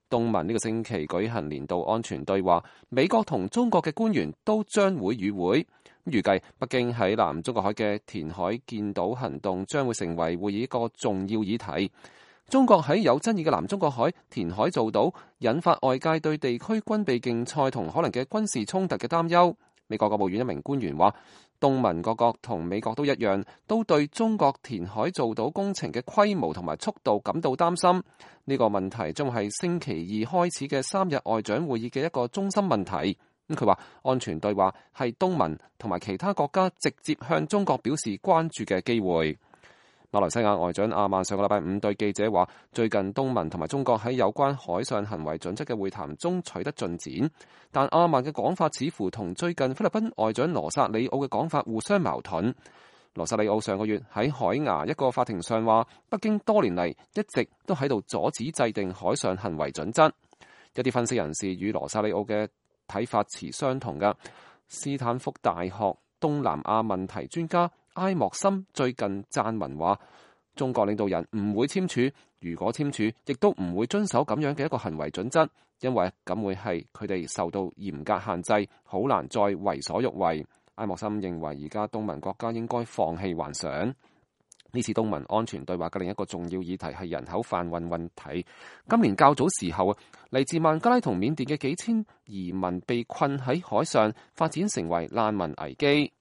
東盟呢個星期舉行年度安全對話，美國同中國嘅官員都將會與會。預計北京喺南中國海嘅填海建島行動將會成為會議一個重要議題。中國喺有爭議嘅南中國海填海造島，引發外界對地區軍備競賽同可能嘅軍事衝突嘅擔憂。美國國務院一名官員話，東盟各國同美國都一樣，都對中國填海造島工程嘅規模同埋速度感到擔心。呢個問題將係星期二開始嘅3日外長會議嘅一個中心問題。佢話安全對話係東盟同埋其他國家直接向中國表示關注嘅機會。馬來西亞外長阿曼上個禮拜5對記者話，最近東盟同埋中國喺有關海上行為準則嘅會談中取得進展，但阿曼嘅講法似乎同最近菲律賓外長羅薩里奧嘅講法互相矛盾。羅薩里奧上個月喺海牙一個法庭上話，北京多年嚟一直都喺度阻止制定海上行為準則。一啲分析人士與羅薩里奧嘅睇法持相同嘅。斯坦福大學東南亞問題專家埃莫森最近撰文話，中國領導人唔會簽署，如果簽署，亦都唔會遵守咁樣嘅一個行為準則，因為咁會係佢哋受到嚴格限制，好難再為所欲為。埃莫森認為而家東盟國家應該放棄幻想。呢次東盟安全對話嘅另一個重要議題係人口販運問題。今年較早時候，嚟自孟加拉同緬甸嘅幾千移民被困喺海上，發展成為難民危機。